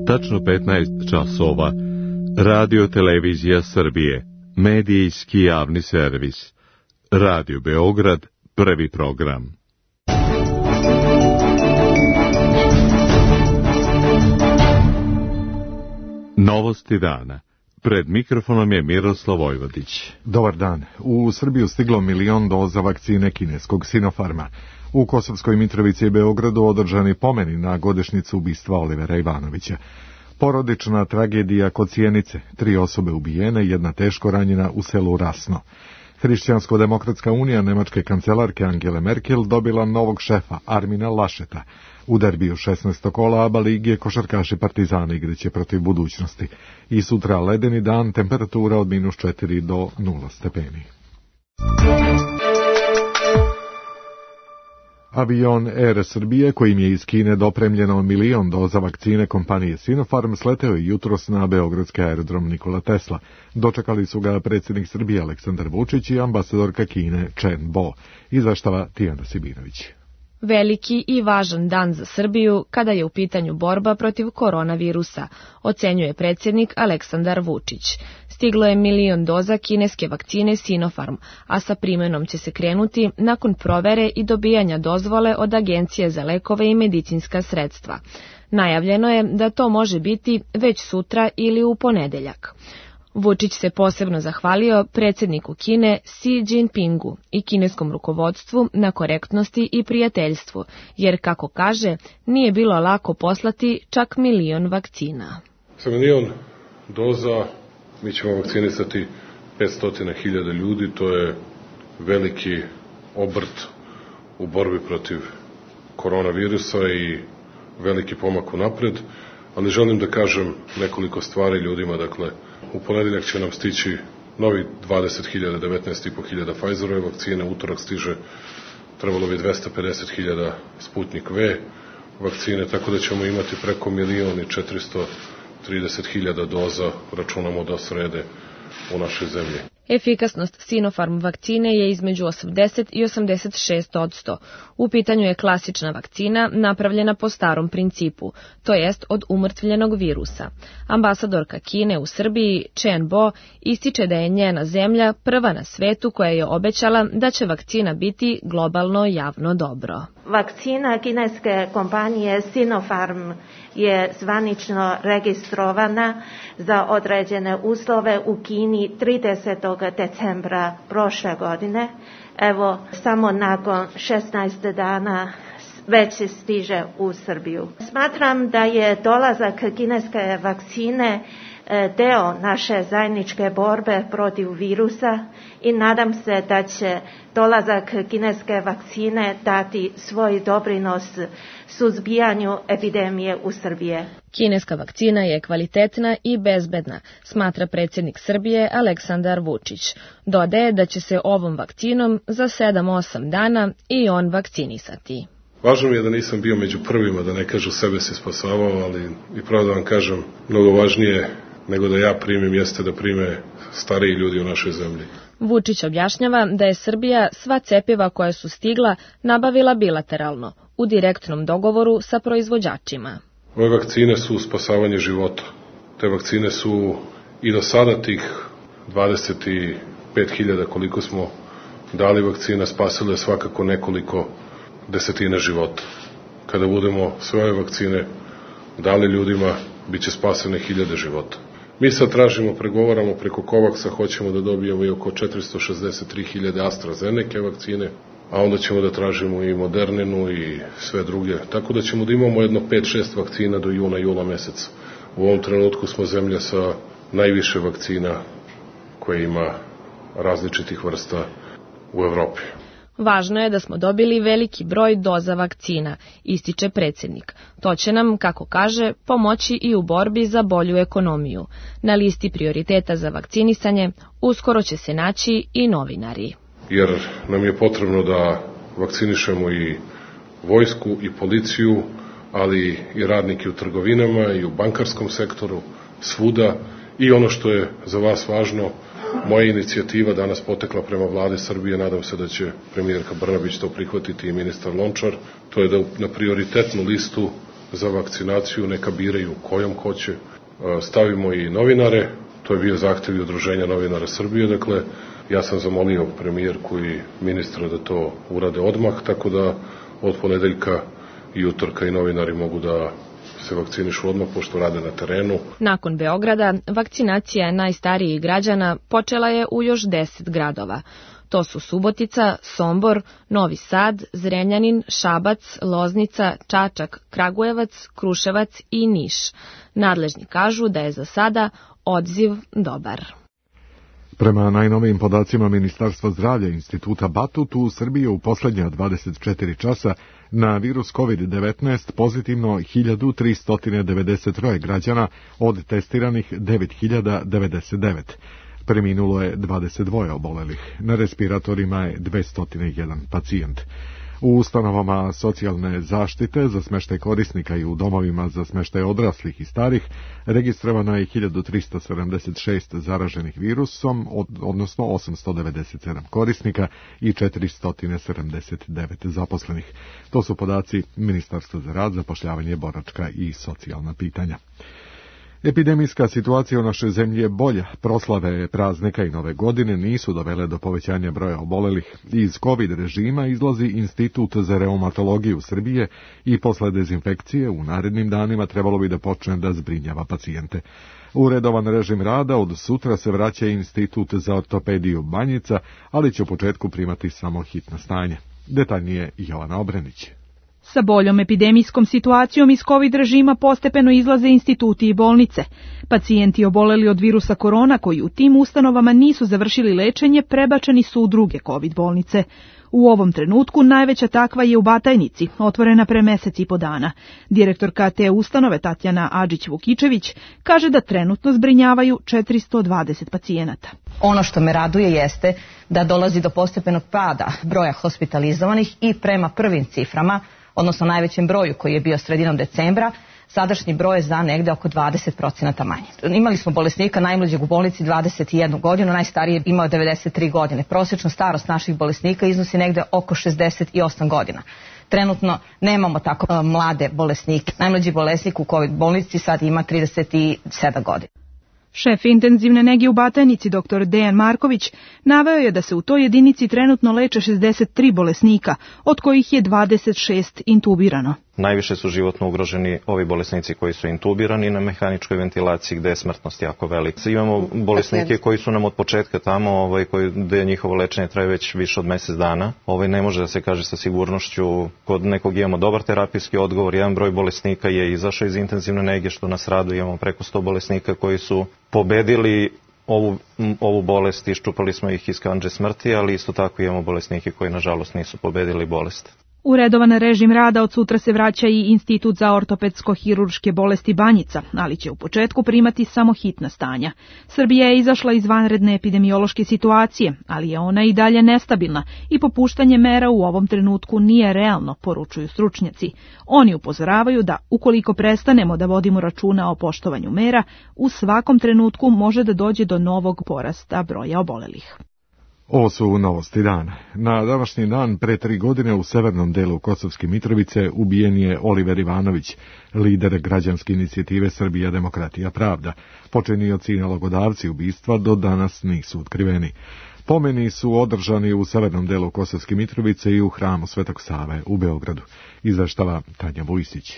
Tačno 15 časova. Radio Televizija Srbije. Medijski javni servis. Radio Beograd, prvi program. Novosti dana. Pred mikrofonom je Miroslav Vojvodić. Dobar dan. U Srbiju stiglo 1 milion doza vakcine kineskog Sinopharma. U Kosovskoj Mitrovici i Beogradu održani pomeni na godišnjicu ubistva Olivera Ivanovića. Porodična tragedija kod Sjenice, 3 osobe ubijene, 1 teško ranjena u selu Rasno. Hrišćansko-demokratska unija nemačke kancelarke Angele Merkel dobila novog šefa, Armina Lašeta. U derbiju 16. kola ABA lige košarkaši Partizana igraće protiv Budućnosti. I sutra ledeni dan, temperatura od -4 do 0 stepeni. Avion Air Srbije, kojim je iz Kine dopremljeno 1 milion doza vakcine kompanije Sinopharm, sleteo je jutros na beogradski aerodrom Nikola Tesla. Dočekali su ga predsjednik Srbije Aleksandar Vučić i ambasadorka Kine Chen Bo. Izveštava Tijana Sibinović. Veliki i važan dan za Srbiju kada je u pitanju borba protiv koronavirusa, ocenjuje predsjednik Aleksandar Vučić. Stiglo je 1 milion doza kineske vakcine Sinopharm, a sa primenom će se krenuti nakon provere i dobijanja dozvole od Agencije za lekove i medicinska sredstva. Najavljeno je da to može biti već sutra ili u ponedeljak. Vučić se posebno zahvalio predsjedniku Kine Xi Jinpingu i kineskom rukovodstvu na korektnosti i prijateljstvu, jer, kako kaže, nije bilo lako poslati čak 1 milion vakcina. Sa 1 milion doza mi ćemo vakcinisati 500.000 ljudi, to je veliki obrt u borbi protiv koronavirusa i veliki pomak unapred, ali želim da kažem nekoliko stvari ljudima. Dakle, u ponedeljak će nam stići novi 20.000, 19.500 Pfizerove vakcine, utorak stiže, trebalo bi 250.000 Sputnik V vakcine, tako da ćemo imati preko 1.430.000 doza, računamo do srede, u našoj zemlji. Efikasnost Sinopharm vakcine je između 80 i 86%. U pitanju je klasična vakcina napravljena po starom principu, to jest od umrtvljenog virusa. Ambasadorka Kine u Srbiji, Chen Bo, ističe da je njena zemlja prva na svetu koja je obećala da će vakcina biti globalno javno dobro. Vakcina kineske kompanije Sinopharm je zvanično registrovana za određene uslove u Kini 30. decembra prošle godine. Evo, samo nakon 16 dana već stiže u Srbiju. Smatram da je dolazak kineske vakcine deo naše zajedničke borbe protiv virusa i nadam se da će dolazak kineske vakcine dati svoj doprinos suzbijanju epidemije u Srbiji. Kineska vakcina je kvalitetna i bezbedna, smatra predsjednik Srbije Aleksandar Vučić. Dodaje da će se ovom vakcinom za 7-8 dana i on vakcinisati. Važno mi je da nisam bio među prvima, da ne kažu sebe se spasavao, ali i pravo da vam kažem, mnogo važnije nego da ja primim jeste da prime stariji ljudi u našoj zemlji. Vučić objašnjava da je Srbija sva cepiva koja su stigla nabavila bilateralno, u direktnom dogovoru sa proizvođačima. Ove vakcine su spasavanje života. Te vakcine su i do sada tih 25.000 koliko smo dali vakcina spasile svakako nekoliko desetina života. Kada budemo sve ove vakcine dali ljudima, bit će spasene 1000 života. Mi sad tražimo, pregovaramo preko COVAX-a, hoćemo da dobijemo i oko 463.000 AstraZeneca vakcine, a onda ćemo da tražimo i Moderninu i sve druge. Tako da ćemo da imamo jedno 5-6 vakcina do juna meseca. U ovom trenutku smo zemlja sa najviše vakcina koje ima različitih vrsta u Evropi. Važno je da smo dobili veliki broj doza vakcina, ističe predsjednik. To će nam, kako kaže, pomoći i u borbi za bolju ekonomiju. Na listi prioriteta za vakcinisanje uskoro će se naći i novinari. Jer nam je potrebno da vakcinišemo i vojsku i policiju, ali i radnike u trgovinama i u bankarskom sektoru, svuda. I ono što je za vas važno, moja inicijativa danas potekla prema vlade Srbije, nadam se da će premijerka Brnabić to prihvatiti i ministar Lončar, to je da na prioritetnu listu za vakcinaciju, neka biraju kojom hoće. Stavimo i novinare, to je bio zahtev i Udruženja novinara Srbije, dakle, ja sam zamolio premijerku i ministra da to urade odmah, tako da od ponedeljka i utorka i novinari mogu da se vakcinišu odmah, pošto rade na terenu. Nakon Beograda, vakcinacija najstarijih građana počela je u još 10 gradova. To su Subotica, Sombor, Novi Sad, Zrenjanin, Šabac, Loznica, Čačak, Kragujevac, Kruševac i Niš. Nadležni kažu da je za sada odziv dobar. Prema najnovijim podacima Ministarstva zdravlja Instituta Batut, u Srbiji u poslednja 24 časa na virus COVID-19 pozitivno 1393 građana, od testiranih 9099. Preminulo je 22 obolelih. Na respiratorima je 201 pacijent. U ustanovama socijalne zaštite za smeštaj korisnika i u domovima za smeštaj odraslih i starih registrovano je 1376 zaraženih virusom, odnosno 897 korisnika i 479 zaposlenih. To su podaci Ministarstva za rad, zapošljavanje, boračka i socijalna pitanja. Epidemijska situacija u našoj zemlji je bolja. Proslave praznika i nove godine nisu dovele do povećanja broja obolelih. Iz COVID režima izlazi Institut za reumatologiju Srbije i posle dezinfekcije u narednim danima trebalo bi da počne da zbrinjava pacijente. U redovan režim rada od sutra se vraća Institut za ortopediju Banjica, ali će u početku primati samo hitno stanje. Detaljnije Jovana Obrenić. Sa boljom epidemijskom situacijom iz COVID režima postepeno izlaze instituti i bolnice. Pacijenti oboleli od virusa korona koji u tim ustanovama nisu završili lečenje prebačeni su u druge COVID bolnice. U ovom trenutku najveća takva je u Batajnici, otvorena pre mesec i po dana. Direktorka te ustanove Tatjana Adžić-Vukičević kaže da trenutno zbrinjavaju 420 pacijenata. Ono što me raduje jeste da dolazi do postepenog pada broja hospitalizovanih i prema prvim ciframa, odnosno najvećem broju koji je bio sredinom decembra, sadašnji broj je za negde oko 20% manje. Imali smo bolesnika najmlađeg u bolnici 21 godinu, najstariji je imao 93 godine. Prosječna starost naših bolesnika iznosi negde oko 68 godina. Trenutno nemamo tako mlade bolesnike. Najmlađi bolesnik u COVID bolnici sad ima 37 godina. Šef intenzivne nege u Batajnici, dr. Dejan Marković, naveo je da se u toj jedinici trenutno leče 63 bolesnika, od kojih je 26 intubirano. Najviše su životno ugroženi ovi bolesnici koji su intubirani na mehaničkoj ventilaciji gde je smrtnost jako velika. Imamo bolesnike koji su nam od početka tamo, gde njihovo lečenje traje već više od mesec dana. Ne može da se kaže sa sigurnošću, kod nekog imamo dobar terapijski odgovor, jedan broj bolesnika je izašao iz intenzivne nege, što nas raduje, imamo preko 100 bolesnika koji su pobedili ovu bolest, iščupali smo ih iz kandže smrti, ali isto tako imamo bolesnike koji nažalost nisu pobedili bolest. U redovan režim rada od sutra se vraća i Institut za ortopedsko-hirurške bolesti Banjica, ali će u početku primati samo hitna stanja. Srbija je izašla iz vanredne epidemiološke situacije, ali je ona i dalje nestabilna i popuštanje mera u ovom trenutku nije realno, poručuju stručnjaci. Oni upozoravaju da ukoliko prestanemo da vodimo računa o poštovanju mera, u svakom trenutku može da dođe do novog porasta broja obolelih. Ovo su novosti dana. Na današnji dan pre 3 godine u severnom delu Kosovske Mitrovice ubijen je Oliver Ivanović, lider građanske inicijative Srbija, demokratija, pravda. Počinioci i nalogodavci ubistva do danas nisu otkriveni. Pomeni su održani u severnom delu Kosovske Mitrovice i u hramu Svetog Save u Beogradu. Izveštava Tanja Vujsić.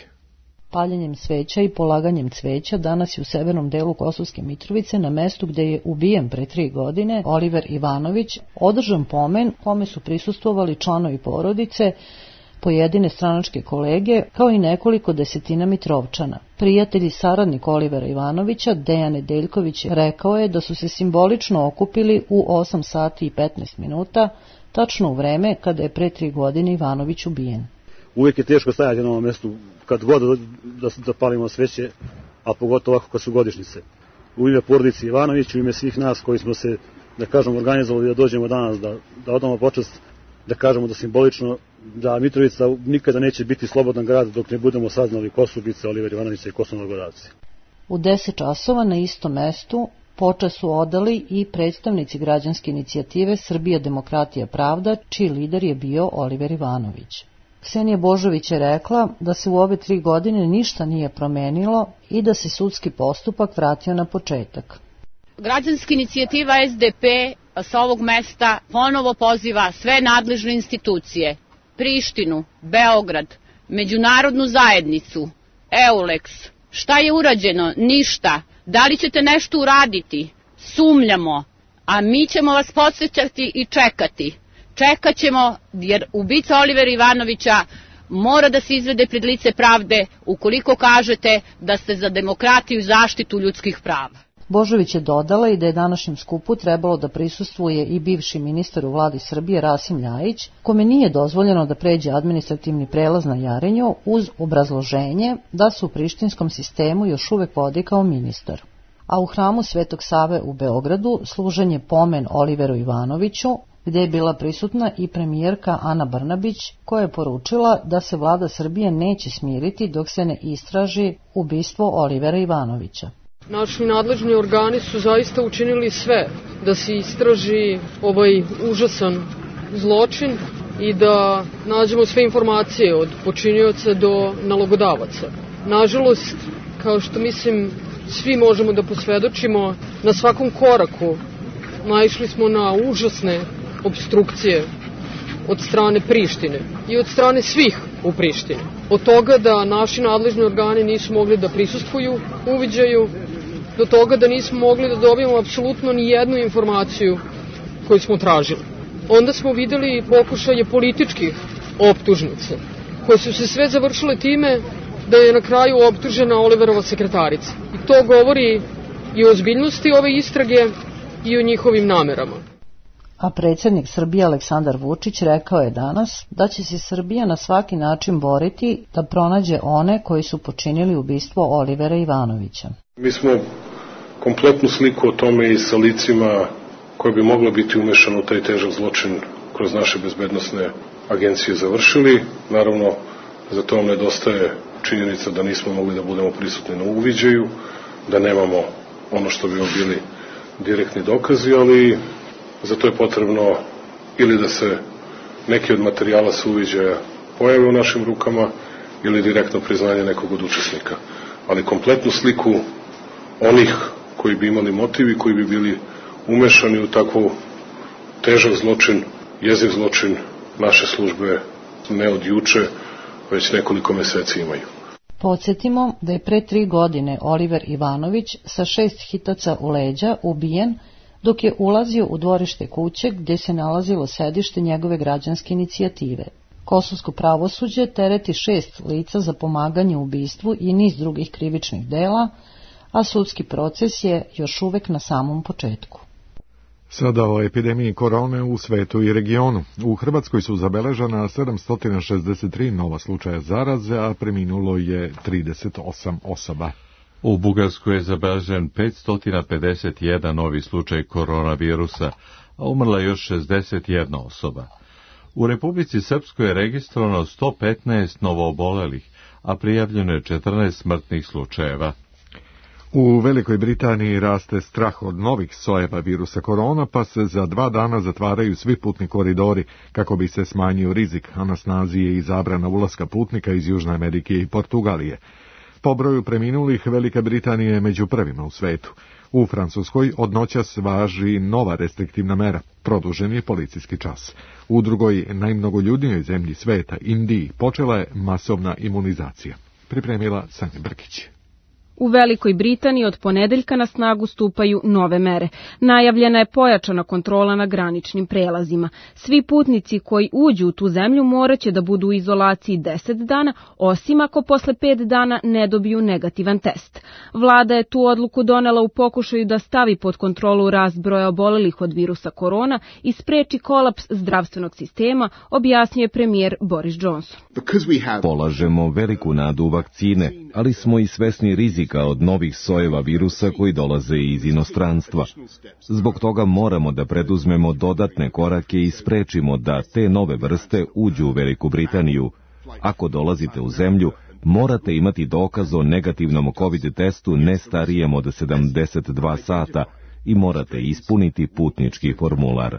Paljenjem sveća i polaganjem cveća danas je u severnom delu Kosovske Mitrovice, na mestu gde je ubijen pre 3 godine Oliver Ivanović, održan pomen kome su prisustvovali članovi porodice, pojedine stranačke kolege, kao i nekoliko desetina Mitrovčana. Prijatelj i saradnik Olivera Ivanovića, Dejan Nedeljković, rekao je da su se simbolično okupili u 8 sati i 15 minuta, tačno u vreme kada je pre 3 godine Ivanović ubijen. Uvijek je teško stajati na ovom mjestu kad god da palimo sveće, a pogotovo ovako kad su godišnjice. U ime porodice Ivanović, u ime svih nas koji smo se, da kažemo, organizovali da dođemo danas, da odamo počast, da kažemo da simbolično, da Mitrovica nikada neće biti slobodan grad dok ne budemo saznali ko su ubice Oliver Ivanovića i ko su nalogodavci. U 10 časova na istom mestu počast su odali i predstavnici građanske inicijative Srbija, demokratija, pravda, čiji lider je bio Oliver Ivanović. Ksenija Božović je rekla da se u ove 3 godine ništa nije promenilo i da se sudski postupak vratio na početak. Građanska inicijativa SDP sa ovog mesta ponovo poziva sve nadležne institucije, Prištinu, Beograd, međunarodnu zajednicu, EULEX. Šta je urađeno? Ništa. Da li ćete nešto uraditi? Sumnjamo, a mi ćemo vas podsjećati i čekati. Čekat ćemo jer ubica Olivera Ivanovića mora da se izvede pred lice pravde ukoliko kažete da ste za demokratiju i zaštitu ljudskih prava. Božović je dodala i da je današnjem skupu trebalo da prisustvuje i bivši ministar u vladi Srbije Rasim Ljajić, kome nije dozvoljeno da pređe administrativni prelaz na Jarinju uz obrazloženje da se u prištinskom sistemu još uvek vodi kao ministar. A u hramu Svetog Save u Beogradu služen je pomen Oliveru Ivanoviću, gde je bila prisutna i premijerka Ana Brnabić, koja je poručila da se vlada Srbije neće smiriti dok se ne istraži ubistvo Olivera Ivanovića. Naši nadležni organi su zaista učinili sve da se istraži ovaj užasan zločin i da nađemo sve informacije od počinioca do nalogodavaca. Nažalost, kao što mislim svi možemo da posvedočimo, na svakom koraku naišli smo na užasne opstrukcije od strane Prištine i od strane svih u Prištini. Od toga da naši nadležni organi nisu mogli da prisustvuju uviđaju, do toga da nismo mogli da dobijemo apsolutno ni jednu informaciju koju smo tražili. Onda smo videli pokušaje političkih optužnica, koje su se sve završile time da je na kraju optužena Oliverova sekretarica. I to govori i o ozbiljnosti ove istrage i o njihovim namerama. A predsjednik Srbije Aleksandar Vučić rekao je danas da će se Srbija na svaki način boriti da pronađe one koji su počinili ubistvo Olivera Ivanovića. Mi smo kompletnu sliku o tome i sa licima koje bi moglo biti umešano u taj težak zločin kroz naše bezbednosne agencije završili. Naravno, za to vam nedostaje činjenica da nismo mogli da budemo prisutni na uviđaju, da nemamo ono što bi bili direktni dokazi, ali za to je potrebno ili da se neki od materijala sa uviđaja pojave u našim rukama ili direktno priznanje nekog od učesnika. Ali kompletnu sliku onih koji bi imali motiv i koji bi bili umešani u takvu težak zločin, jeziv zločin, naše službe ne od juče, već nekoliko meseci imaju. Podsjetimo da je pre 3 godine Oliver Ivanović sa 6 hitaca u leđa ubijen dok je ulazio u dvorište kuće gdje se nalazilo sedište njegove građanske inicijative. Kosovsko pravosuđe tereti 6 lica za pomaganje u ubistvu i niz drugih krivičnih dela, a sudski proces je još uvek na samom početku. Sada o epidemiji korone u svetu i regionu. U Hrvatskoj su zabeležena 763 nova slučaja zaraze, a preminulo je 38 osoba. U Bugarskoj je zabeležen 551 novi slučaj koronavirusa, a umrla još 61 osoba. U Republici Srpskoj je registrovano 115 novoobolelih, a prijavljeno je 14 smrtnih slučajeva. U Velikoj Britaniji raste strah od novih sojeva virusa korona, pa se za 2 dana zatvaraju svi putni koridori kako bi se smanjio rizik, a na snazi je i zabrana ulaska putnika iz Južne Amerike i Portugalije. Po broju preminulih, Velika Britanija je među prvima u svetu. U Francuskoj od noćas važi nova restriktivna mera, produžen je policijski čas. U drugoj najmnogoljudnijoj zemlji sveta, Indiji, počela je masovna imunizacija. Pripremila Sanja Brkić. U Velikoj Britaniji od ponedeljka na snagu stupaju nove mere. Najavljena je pojačana kontrola na graničnim prelazima. Svi putnici koji uđu u tu zemlju moraće da budu u izolaciji 10 dana, osim ako posle 5 dana ne dobiju negativan test. Vlada je tu odluku donela u pokušaju da stavi pod kontrolu rast broja obolelih od virusa korona i spreči kolaps zdravstvenog sistema, objasnio je premijer Boris Johnson. Polažemo veliku nadu u vakcine, ali smo i svesni rizika od novih sojeva virusa koji dolaze iz inostranstva. Zbog toga moramo da preduzmemo dodatne korake i sprečimo da te nove vrste uđu u Veliku Britaniju. Ako dolazite u zemlju, morate imati dokaz o negativnom COVID testu ne starijem od 72 sata i morate ispuniti putnički formular.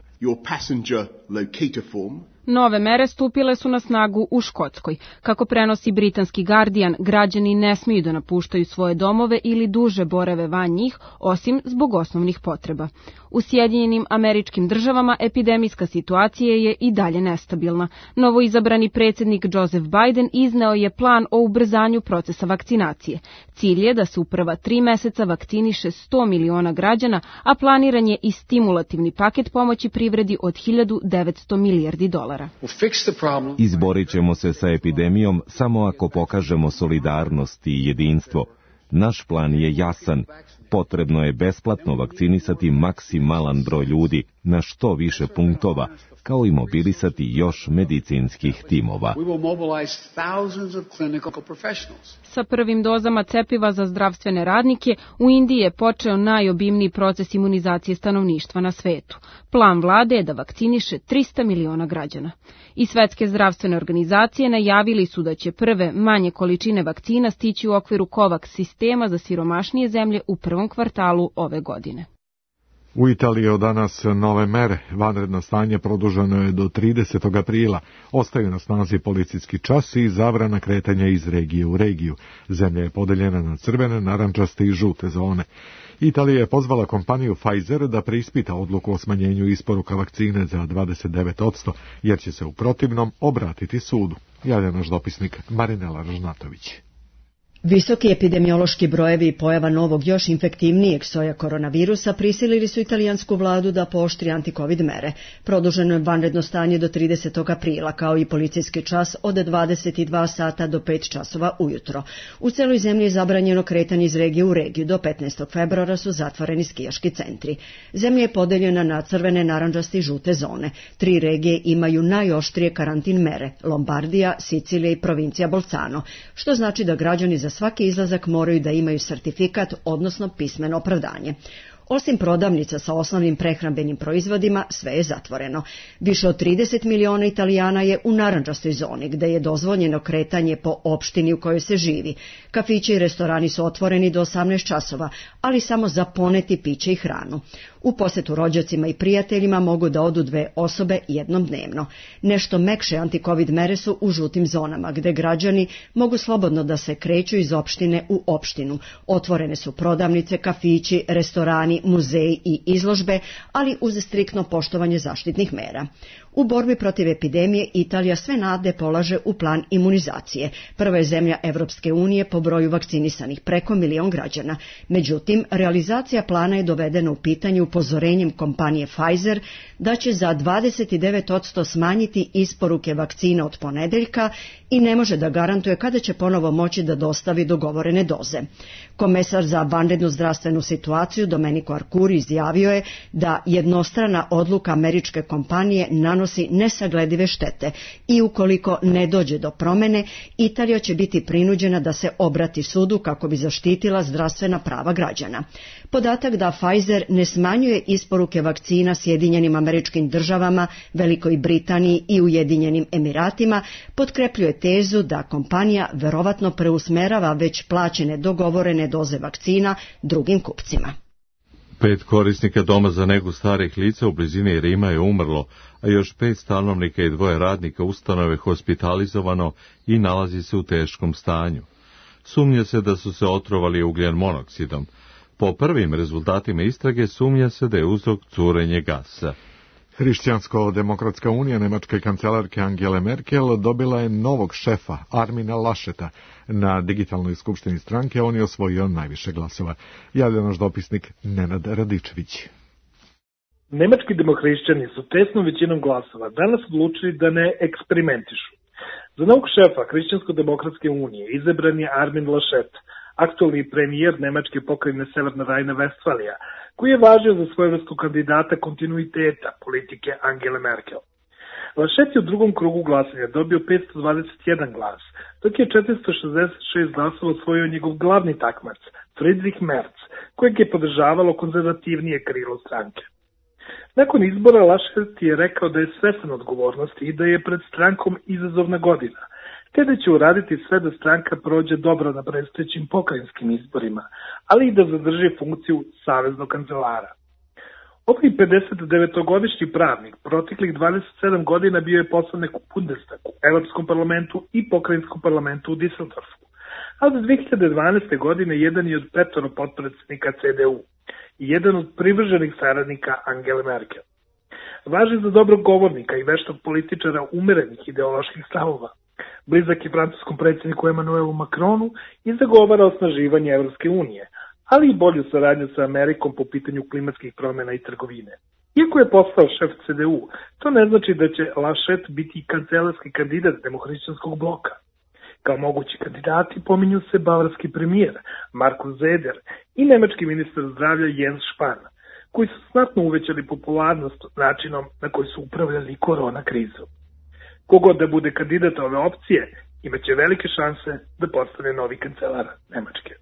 Nove mere stupile su na snagu u Škotskoj. Kako prenosi britanski Guardian, građani ne smiju da napuštaju svoje domove ili duže borave van njih, osim zbog osnovnih potreba. U Sjedinjenim Američkim Državama epidemijska situacija je i dalje nestabilna. Novoizabrani predsjednik Joseph Biden izneo je plan o ubrzanju procesa vakcinacije. Cilj je da se u prva 3 meseca vakciniše 100 miliona građana, a planiran je i stimulativni paket pomoći privredi od $1.900 milijardi. Izborit ćemo se sa epidemijom samo ako pokažemo solidarnost i jedinstvo. Naš plan je jasan. Potrebno je besplatno vakcinisati maksimalan broj ljudi na što više punktova, kao i mobilisati još medicinskih timova. Sa prvim dozama cepiva za zdravstvene radnike u Indiji je počeo najobimniji proces imunizacije stanovništva na svetu. Plan vlade je da vakciniše 300 miliona građana. I Svetske zdravstvene organizacije najavili su da će prve manje količine vakcina stići u okviru COVAX sistema za siromašnije zemlje u prvom kvartalu ove godine. U Italiji od danas nove mere. Vanredno stanje produženo je do 30. aprila. Ostaju na snazi policijski čas i zabrana kretanja iz regije u regiju. Zemlja je podeljena na crvene, narandžaste i žute zone. Italija je pozvala kompaniju Pfizer da preispita odluku o smanjenju isporuka vakcine za 29%, jer će se u protivnom obratiti sudu. Javlja naš dopisnik Marinela Ražnatović. Visoki epidemiološki brojevi i pojava novog još infektivnijeg soja koronavirusa prisilili su italijansku vladu da pooštri antikovid mere. Produženo je vanredno stanje do 30. aprila, kao i policijski čas od 22 sata do 5 časova ujutro. U celoj zemlji je zabranjeno kretanje iz regije u regiju. Do 15. februara su zatvoreni skijaški centri. Zemlja je podeljena na crvene, narandžaste i žute zone. 3 regije imaju najoštrije karantin mere: Lombardija, Sicilija i provincija Bolzano, što znači da građani za svaki izlazak moraju da imaju sertifikat, odnosno pismeno opravdanje. Osim prodavnica sa osnovnim prehrambenim proizvodima, sve je zatvoreno. Više od 30 miliona Italijana je u narandžastoj zoni, gde je dozvoljeno kretanje po opštini u kojoj se živi. Kafići i restorani su otvoreni do 18 časova, ali samo za poneti piće i hranu. U posetu rođacima i prijateljima mogu da odu 2 osobe jednom dnevno. Nešto mekše antikovid mere su u žutim zonama, gde građani mogu slobodno da se kreću iz opštine u opštinu. Otvorene su prodavnice, kafići, restorani, muzeji i izložbe, ali uz striktno poštovanje zaštitnih mera. U borbi protiv epidemije Italija sve nade polaže u plan imunizacije. Prva je zemlja Evropske unije po broju vakcinisanih, preko 1 milion građana. Međutim, realizacija plana je dovedena u pitanje upozorenjem kompanije Pfizer da će za 29% smanjiti isporuke vakcina od ponedeljka i ne može da garantuje kada će ponovo moći da dostavi dogovorene doze. Komesar za vanrednu zdravstvenu situaciju Domenico Arcuri izjavio je da jednostrana odluka američke kompanije nanosi nesagledive štete i ukoliko ne dođe do promene, Italija će biti prinuđena da se obrati sudu kako bi zaštitila zdravstvena prava građana. Podatak da Pfizer ne smanjuje isporuke vakcina Sjedinjenim Američkim Državama, Velikoj Britaniji i Ujedinjenim Emiratima potkrepljuje tezu da kompanija verovatno preusmerava već plaćene dogovorene doze vakcina drugim kupcima. 5 korisnika doma za negu starih lica u blizini Rima je umrlo, a još 5 stanovnika i 2 radnika ustanove hospitalizovano i nalazi se u teškom stanju. Sumnja se da su se otrovali ugljen monoksidom. Po prvim rezultatima istrage sumnja se da je uzrok curenje gasa. Hrišćansko-demokratska unija nemačke kancelarke Angele Merkel dobila je novog šefa, Armina Lascheta. Na digitalnoj skupštini stranke on je osvojio najviše glasova. Javlja naš dopisnik Nenad Radičević. Nemački demohrišćani su tesnom većinom glasova danas odlučili da ne eksperimentišu. Za novog šefa Hrišćansko-demokratske unije izabran je Armin Laschet, aktualni premijer nemačke pokrajine Severna Rajna-Vestfalija, koji je važio za svojevrsnu kandidata kontinuiteta politike Angele Merkel. Laschet je u drugom krugu glasanja dobio 521 glas, dok je 466 glasova osvojio njegov glavni takmac, Friedrich Merz, kojeg je podržavalo konzervativnije krilo stranke. Nakon izbora Laschet je rekao da je svestan odgovornosti i da je pred strankom izazovna godina, te da će uraditi sve da stranka prođe dobro na predstojećim pokrajinskim izborima, ali i da zadrži funkciju saveznog kancelara. Ovaj 59-godišnji pravnik proteklih 27 godina bio je poslanik u Bundestagu, Evropskom parlamentu i pokrajinskom parlamentu u Düsseldorfu. A od 2012. godine jedan je od 5 potpredsjednika CDU i jedan od privrženih saradnika Angele Merkel. Važi za dobrog govornika i veštog političara umerenih ideoloških stavova. Blizak je francuskom predsjedniku Emmanuelu Macronu i zagovara osnaživanje Evropske unije, ali i bolju saradnju sa Amerikom po pitanju klimatskih promjena i trgovine. Iako je postao šef CDU, to ne znači da će Laschet biti kancelarski kandidat demohrišćanskog bloka. Kao mogući kandidati pominju se bavarski premijer Markus Söder i nemački ministar zdravlja Jens Spahn, koji su znatno uvećali popularnost načinom na koji su upravljali korona krizom. Kogod da bude kandidat ove opcije, imaće velike šanse da postane novi kancelar Nemačke.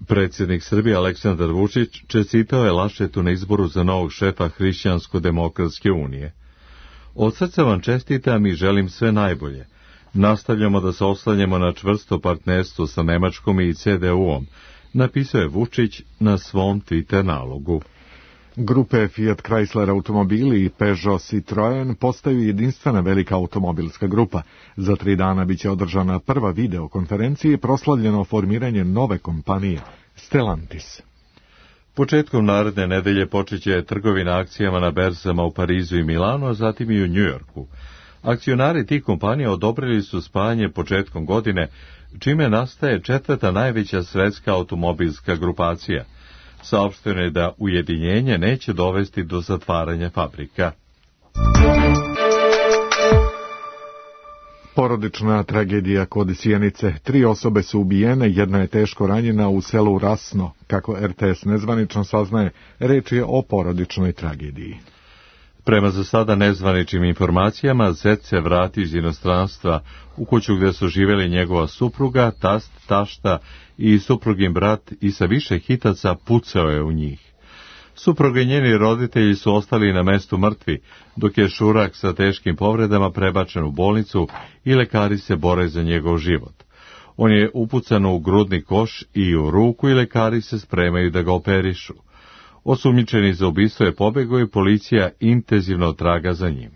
Predsjednik Srbije Aleksandar Vučić čestitao je Laschetu na izboru za novog šefa Hrišćansko-demokratske unije. Od srca vam čestitam i želim sve najbolje. Nastavljamo da se oslanjamo na čvrsto partnerstvo sa Nemačkom i CDU-om, napisao je Vučić na svom Twitter nalogu. Grupe Fiat Chrysler automobili i Peugeot Citroen postaju jedinstvena velika automobilska grupa. Za 3 dana biće održana prva videokonferencija i proslavljeno formiranje nove kompanije Stellantis. Početkom naredne nedelje počeće trgovina akcijama na berzama u Parizu i Milanu, a zatim i u Njujorku. Akcionari tih kompanija odobrili su spajanje početkom godine, čime nastaje 4. najveća svetska automobilska grupacija. Saopšteno je da ujedinjenje neće dovesti do zatvaranja fabrika. Porodična tragedija kod Sjenice. 3 osobe su ubijene, jedna je teško ranjena u selu Rasno. Kako RTS nezvanično saznaje, reč je o porodičnoj tragediji. Prema za sada nezvaničnim informacijama, zet se vrati iz inostranstva u kuću gdje su živjeli njegova supruga, tast, tašta i suprugin brat i sa više hitaca pucao je u njih. Supruga i njeni roditelji su ostali na mestu mrtvi, dok je Šurak sa teškim povredama prebačen u bolnicu i lekari se bore za njegov život. On je upucan u grudni koš i u ruku i lekari se spremaju da ga operišu. Osumnjičeni za ubistvo je pobegao i policija intenzivno traga za njim.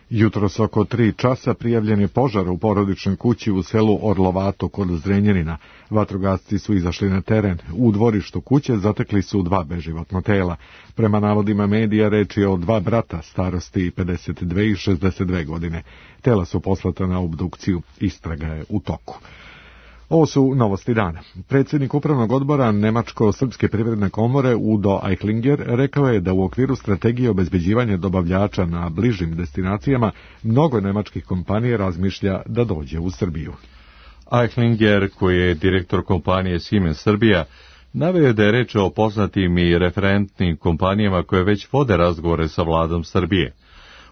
Jutros oko 3 časa prijavljen je požar u porodičnoj kući u selu Orlovato kod Zrenjanina. Vatrogasci su izašli na teren. U dvorištu kuće zatekli su 2 beživotna tela. Prema navodima medija reč je o 2 brata starosti 52 i 62 godine. Tela su poslata na obdukciju. Istraga je u toku. Ovo su novosti dana. Predsjednik upravnog odbora Nemačko-srpske privredne komore Udo Eichlinger rekao je da u okviru strategije obezbeđivanja dobavljača na bližim destinacijama mnogo nemačkih kompanija razmišlja da dođe u Srbiju. Eichlinger, koji je direktor kompanije Siemens Srbija, naveo je da je reč o poznatim i referentnim kompanijama koje već vode razgovore sa vladom Srbije.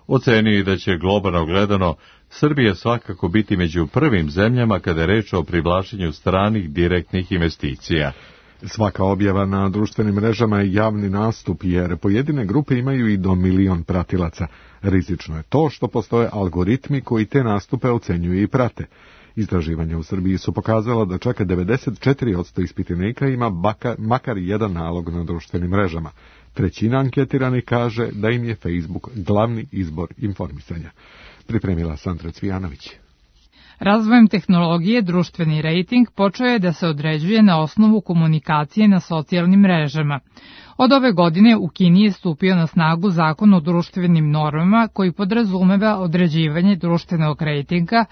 Ocenio je da će globalno gledano Srbija svakako biti među prvim zemljama kada je reč o privlačenju stranih direktnih investicija. Svaka objava na društvenim mrežama je javni nastup, jer pojedine grupe imaju i do 1 milion pratilaca. Rizično je to što postoje algoritmi koji te nastupe ocenjuju i prate. Istraživanja u Srbiji su pokazala da čak 94% ispitanika ima makar jedan nalog na društvenim mrežama. 1/3 anketiranih kaže da im je Facebook glavni izbor informisanja. Pripremila Sandra Cvijanović. Razvojem tehnologije društveni rejting počeo je da se određuje na osnovu komunikacije na socijalnim mrežama. Od ove godine u Kini je stupio na snagu zakon o društvenim normama koji podrazumeva određivanje društvenog rejtinga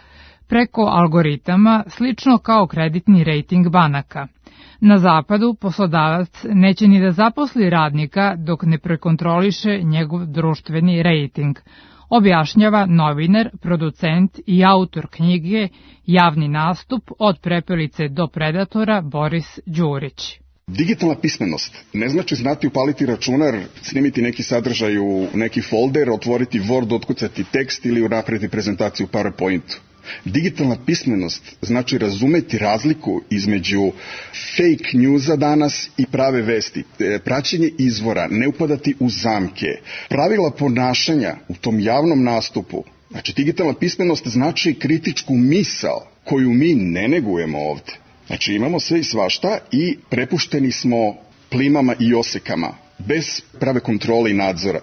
preko algoritama slično kao kreditni rejting banaka. Na zapadu poslodavac neće ni da zaposli radnika dok ne prekontroliše njegov društveni rejting, objašnjava novinar, producent i autor knjige Javni nastup od prepelice do predatora Boris Đurić. Digitalna pismenost ne znači znati upaliti računar, snimiti neki sadržaj u neki folder, otvoriti Word, otkucati tekst ili napraviti prezentaciju u PowerPointu. Digitalna pismenost znači razumeti razliku između fake newsa danas i prave vesti, praćenje izvora, ne upadati u zamke, pravila ponašanja u tom javnom nastupu. Znači, digitalna pismenost znači kritičku misao koju mi ne negujemo ovde. Znači, imamo sve i svašta i prepušteni smo plimama i osekama. bez prave kontrole i nadzora.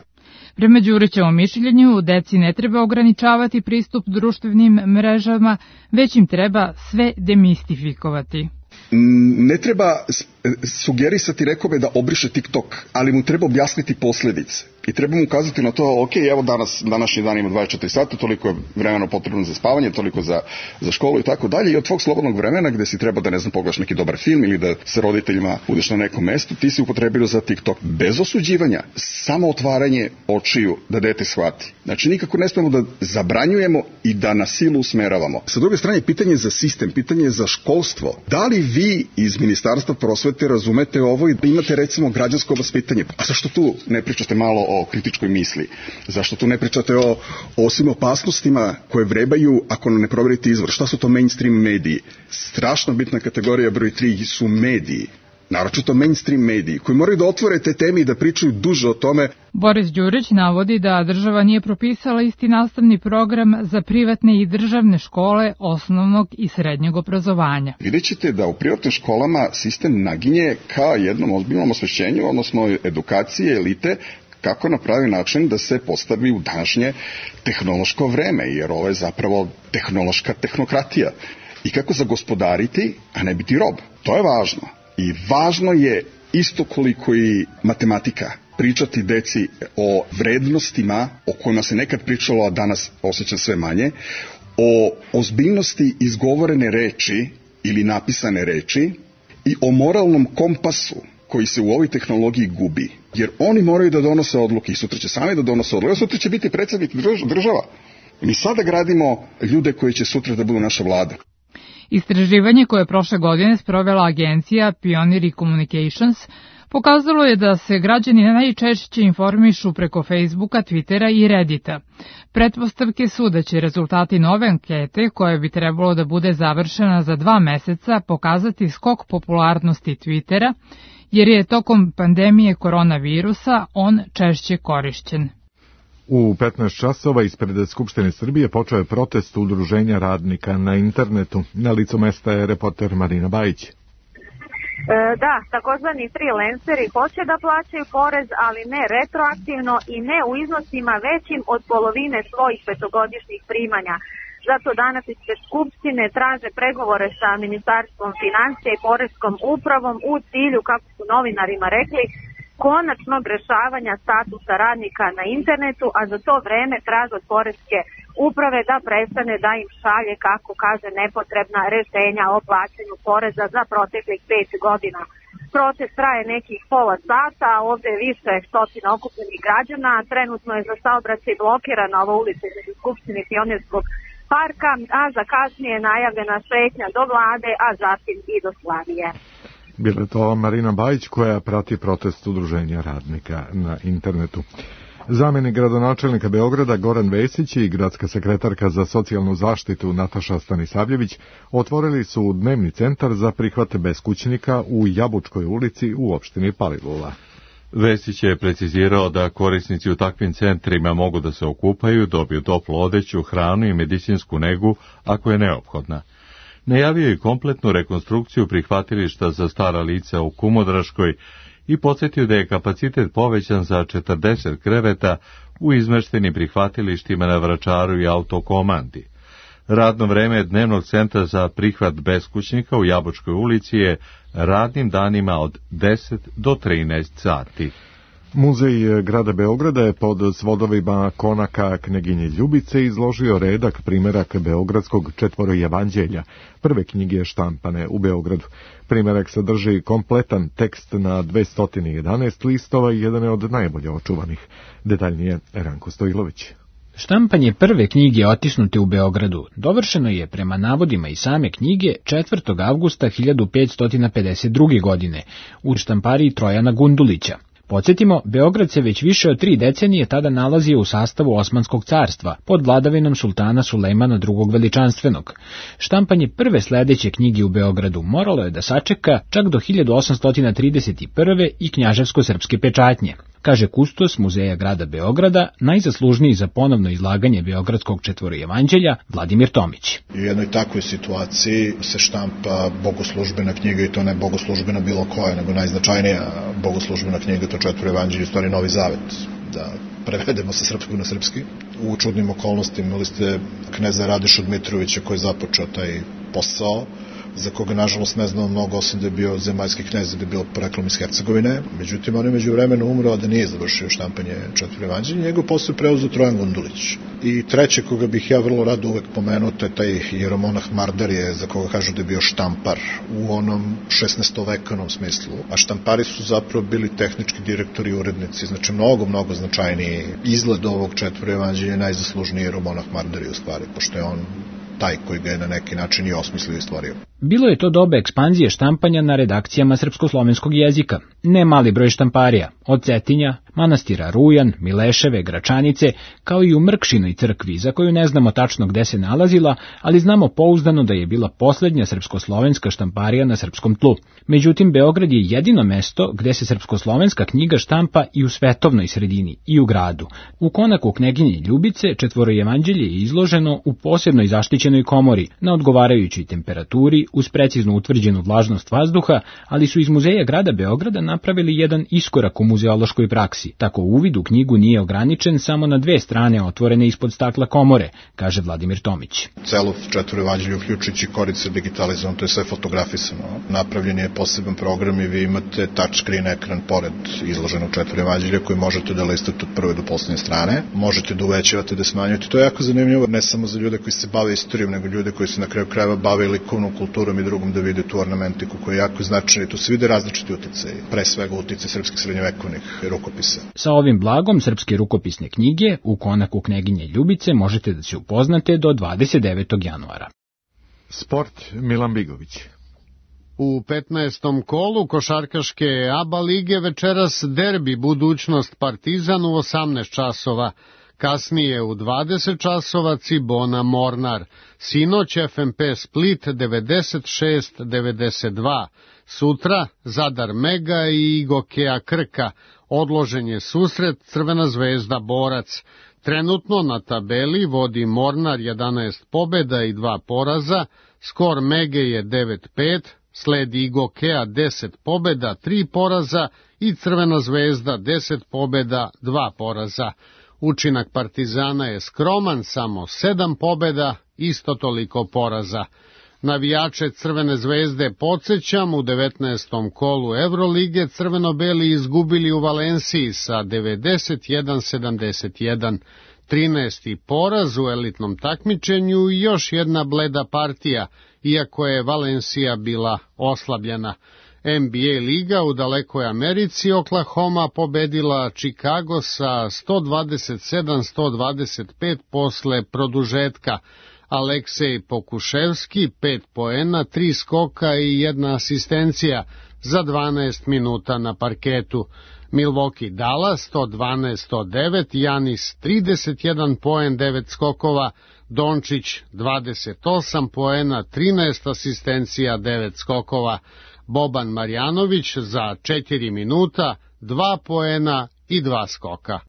Prema Đurićevom mišljenju, deci ne treba ograničavati pristup društvenim mrežama, već im treba sve demistifikovati. Ne treba sugerisati nekome da obriše TikTok, ali mu treba objasniti posljedice. I treba mu ukazati na to, ok, evo današnji dan ima 24 sata, toliko je vremena potrebno za spavanje, toliko za školu i tako dalje. I od tvog slobodnog vremena gde si treba da, ne znam, pogledaš neki dobar film ili da sa roditeljima budeš na nekom mestu, ti si upotrebio za TikTok. Bez osuđivanja, samo otvaranje očiju da dete shvati. Znači, nikako ne smemo da zabranjujemo i da na silu usmeravamo. Sa druge strane, pitanje za sistem, pitanje za školstvo. Da li vi iz Ministarstva prosvete razumete ovo i da imate, recimo, građansko vaspitanje? A zašto tu ne pričate malo o kritičkoj misli? Zašto tu ne pričate o svim opasnostima koje vrebaju ako ne proverite izvor? Šta su to mainstream mediji? Strašno bitna kategorija broj 3 su mediji. Naročito mainstream mediji, koji moraju da otvore te teme i da pričaju duže o tome. Boris Đurić navodi da država nije propisala isti nastavni program za privatne i državne škole osnovnog i srednjeg obrazovanja. Vidjet ćete da u privatnim školama sistem naginje ka jednom ozbiljnom osvešćenju, odnosno edukacije elite, kako na pravi način da se postavi u današnje tehnološko vreme, jer ovo je zapravo tehnološka tehnokratija. I kako zagospodariti, a ne biti rob. To je važno. I važno je isto koliko i matematika. Pričati deci o vrednostima o kojima se nekad pričalo, a danas osjećam sve manje, o ozbiljnosti izgovorene reči ili napisane reči i o moralnom kompasu koji se u ovoj tehnologiji gubi. Jer oni moraju da donose odluke i sutra će sami da donose odluke. Sutra će biti predsjednik država. Mi sada gradimo ljude koji će sutra da budu naša vlada. Istraživanje koje je prošle godine sprovela agencija Pioneer Communications pokazalo je da se građani najčešće informišu preko Facebooka, Twittera i Reddita. Pretpostavke su da će rezultati nove ankete, koja bi trebalo da bude završena za 2 meseca, pokazati skok popularnosti Twittera, jer je tokom pandemije koronavirusa on češće korišćen. U 15 časova ispred Skupštine Srbije počeo je protest udruženja radnika na internetu. Na licu mesta je reporter Marina Bajić. Da, takozvani freelanceri hoće da plaćaju porez, ali ne retroaktivno i ne u iznosima većim od polovine svojih petogodišnjih primanja. Zato danas ispred Skupštine traže pregovore sa Ministarstvom financija i Poreskom upravom u cilju, kako su novinarima rekli, konačnog rešavanja statusa radnika na internetu, a za to vreme traže od Poreske uprave da prestane da im šalje, kako kaže, nepotrebna rešenja o plaćanju poreza za proteklih 5 godina. Protest traje nekih pola sata, ovde je više stotina okupljenih građana, trenutno je za saobraćaj blokirana ova ulica između Skupštine i Pionirskog parka, a za kasnije je najavljena šetnja do vlade, a zatim i do Slavije. Bila je to Marina Bajić koja prati protest udruženja radnika na internetu. Zamenik gradonačelnika Beograda Goran Vesić i gradska sekretarka za socijalnu zaštitu Nataša Stanisavljević otvorili su dnevni centar za prihvat beskućnika u Jabučkoj ulici u opštini Palilula. Vesić je precizirao da korisnici u takvim centrima mogu da se okupaju, dobiju toplu odeću, hranu i medicinsku negu ako je neophodna. Najavio je kompletnu rekonstrukciju prihvatilišta za stara lica u Kumodraškoj i podsjetio da je kapacitet povećan za 40 kreveta u izmeštenim prihvatilištima na Vračaru i Autokomandi. Radno vreme dnevnog centra za prihvat beskućnika u Jabučkoj ulici je radnim danima od 10 do 13 sati. Muzej grada Beograda je pod svodovima konaka Kneginje Ljubice izložio redak primerak Beogradskog četvorojevanđelja, prve knjige štampane u Beogradu. Primerak sadrži kompletan tekst na 211 listova i jedan je od najbolje očuvanih. Detaljnije Ranko Stojilović. Štampanje prve knjige otisnute u Beogradu dovršeno je prema navodima i same knjige 4. avgusta 1552. godine u štampariji Trojana Gundulića. Podsjetimo, Beograd se već više od 3 decenije tada nalazio u sastavu Osmanskog carstva, pod vladavinom sultana Sulejmana II. Veličanstvenog. Štampanje prve sledeće knjige u Beogradu moralo je da sačeka čak do 1831. i knjaževsko-srpske pečatnje. kaže kustos Muzeja grada Beograda, najzaslužniji za ponovno izlaganje Beogradskog četvorojevanđelja Vladimir Tomić. U jednoj takvoj situaciji se štampa bogoslužbena knjiga, i to ne bogoslužbena bilo koja, nego najznačajnija bogoslužbena knjiga, to četvorojevanđelje, u stvari Novi Zavet, da prevedemo sa srpskog na srpski. U čudnim okolnostima imali ste kneza Radešu Dmitrovića koji je započeo taj posao, za koga nažalost ne znamo mnogo, osim da je bio zemaljski knez, da je bio poreklom iz Hercegovine. Međutim, on je među vremenu umro, a da nije završio štampanje četvorojevanđelja. Njegov posao je preuzeo Trojan Gundulić. I treće, koga bih ja vrlo rado uvek pomenuo, to je taj jeromonah Mardarije, za koga kažu da je bio štampar u onom 16-vekanom smislu. A štampari su zapravo bili tehnički direktori i urednici, znači mnogo značajniji izgled ovog četvorojevanđelja je najzaslužniji jeromonah Mardarije u stvari, pošto je on taj koji ga je na neki način i osmislio i stvorio. Bilo je to doba ekspanzije štampanja na redakcijama srpsko-slovenskog jezika. Ne mali broj štamparija, od Cetinja, manastira Rujan, Mileševe, Gračanice, kao i u Mrkšinoj crkvi, za koju ne znamo tačno gde se nalazila, ali znamo pouzdano da je bila poslednja srpsko-slovenska štamparija na srpskom tlu. Međutim, Beograd je jedino mesto gde se srpsko-slovenska knjiga štampa i u svetovnoj sredini, i u gradu. U konaku kneginje Ljubice četvorojevanđelje je izloženo u posebnoj zaštićenoj komori, na odgovarajućoj temperaturi, uz precizno utvrđenu vlažnost vazduha, ali su iz Muzeja grada Beograda napravili jedan iskorak u muzeološkoj praksi. Tako uvid u knjigu nije ograničen samo na dve strane otvorene ispod stakla komore, kaže Vladimir Tomić. Celo četvorojevanđelje, uključujući korice digitalizovano, to je sve fotografisano. Napravljen je poseban program i vi imate touchscreen ekran pored izloženog četvorojevanđelja koji možete da listate od prve do poslednje strane. Možete da uvećavate, da smanjujete. To je jako zanimljivo, ne samo za ljude koji se bave istorijom, nego ljude koji se na kraju krajeva bave likovnom kulturom i drugom, da vide tu ornamentiku koja je jako značajna i tu se vide različiti uticaji, pre svega uticaji srpskih srednjovekovnih rukopisa. Sa ovim blagom srpske rukopisne knjige u konaku kneginje Ljubice možete da se upoznate do 29. januara. Sport, Milan Bigović. U 15. kolu košarkaške ABA lige večeras derbi budućnost Partizan u 18 časova. Kasnije u 20 časova Cibona Mornar. Sinoć FNP Split 96-92. Sutra Zadar Mega i Igokea Krka. Odložen je susret Crvena zvezda Borac. Trenutno na tabeli vodi Mornar 11 pobeda i 2 poraza. Skor Mege je 9-5. Sledi Igokea 10 pobeda, 3 poraza i Crvena zvezda 10 pobeda, 2 poraza. Učinak Partizana je skroman, samo 7 pobeda, isto toliko poraza. Navijače Crvene zvezde podsjećam, u 19. kolu Evrolige crveno-beli izgubili u Valenciji sa 91-71. 13. poraz u elitnom takmičenju i još jedna bleda partija, iako je Valencija bila oslabljena. NBA liga u dalekoj Americi Oklahoma pobedila Chicago sa 127-125 posle produžetka. Aleksej Pokuševski 5 poena, 3 skoka i 1 asistencija za 12 minuta na parketu. Milwaukee Dallas 112-109, Janis 31 poen, 9 skokova, Dončić 28 poena, 13 asistencija, 9 skokova. Boban Marjanović za 4 minuta, 2 poena i 2 skoka.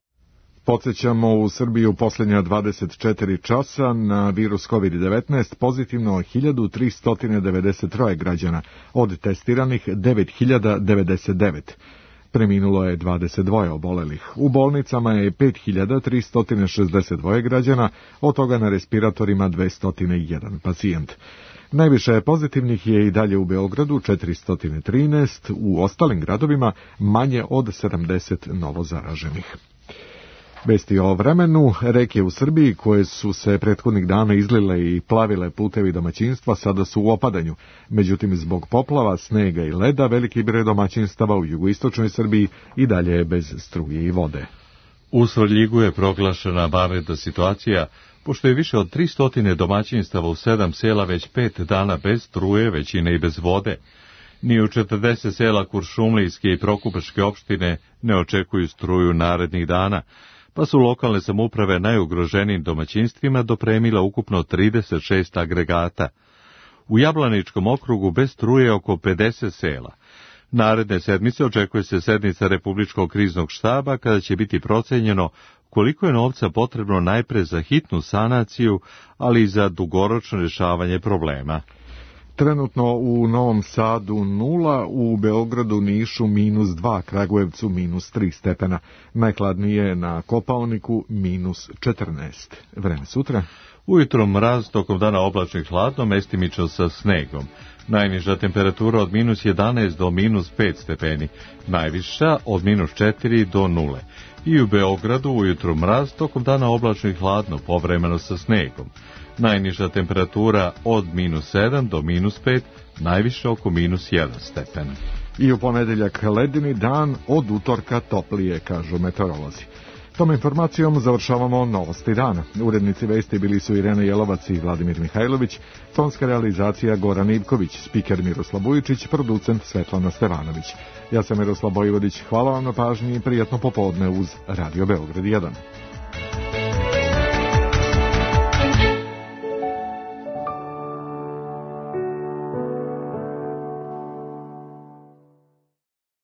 Podsjećamo, u Srbiji u posljednja 24 časa na virus COVID-19 pozitivno 1393 građana, od testiranih 9099. Preminulo je 22 obolelih. U bolnicama je 5362 građana, od toga na respiratorima 201 pacijent. Najviše pozitivnih je i dalje u Beogradu 413, u ostalim gradovima manje od 70 novozaraženih. Vesti o vremenu. Reke u Srbiji koje su se prethodnih dana izlile i plavile putevi domaćinstva sada su u opadanju. Međutim, zbog poplava, snega i leda veliki broj domaćinstava u jugoistočnoj Srbiji i dalje je bez struje i vode. U Svrljigu je proglašena vanredna situacija, pošto je više od 300 domaćinstava u 7 sela već 5 dana bez struje, većine i bez vode. Ni u 40 sela Kuršumlijske i Prokupačke opštine ne očekuju struju narednih dana, pa su lokalne samouprave najugroženijim domaćinstvima dopremila ukupno 36 agregata. U Jablaničkom okrugu bez struje oko 50 sela. Naredne sedmice očekuje se sednica Republičkog kriznog štaba kada će biti procenjeno koliko je novca potrebno najpre za hitnu sanaciju, ali i za dugoročno rješavanje problema. Trenutno u Novom Sadu 0, u Beogradu, Nišu -2, Kragujevcu -3 stepena. Najhladnije je na Kopaoniku -14. Vreme sutra. Ujutro mraz, tokom dana oblačno i hladno, mestimično sa snegom. Najniža temperatura od -11 do -5 stepeni, najviša od -4 do 0. I u Beogradu ujutro mraz, tokom dana oblačno i hladno, povremeno sa snegom. Najniža temperatura od -7 do -5, najviše oko -1 stepen. I u ponedeljak ledeni dan, od utorka toplije, kažu meteorolozi. Tom informacijom završavamo novosti dana. Urednici vesti bili su Irena Jelovac i Vladimir Mihajlović, tonska realizacija Goran Ivković, spiker Miroslav Vujičić, producent Svetlana Stevanović. Ja sam Miroslav Bojvodić, hvala vam na pažnji i prijatno popodne uz Radio Beograd 1.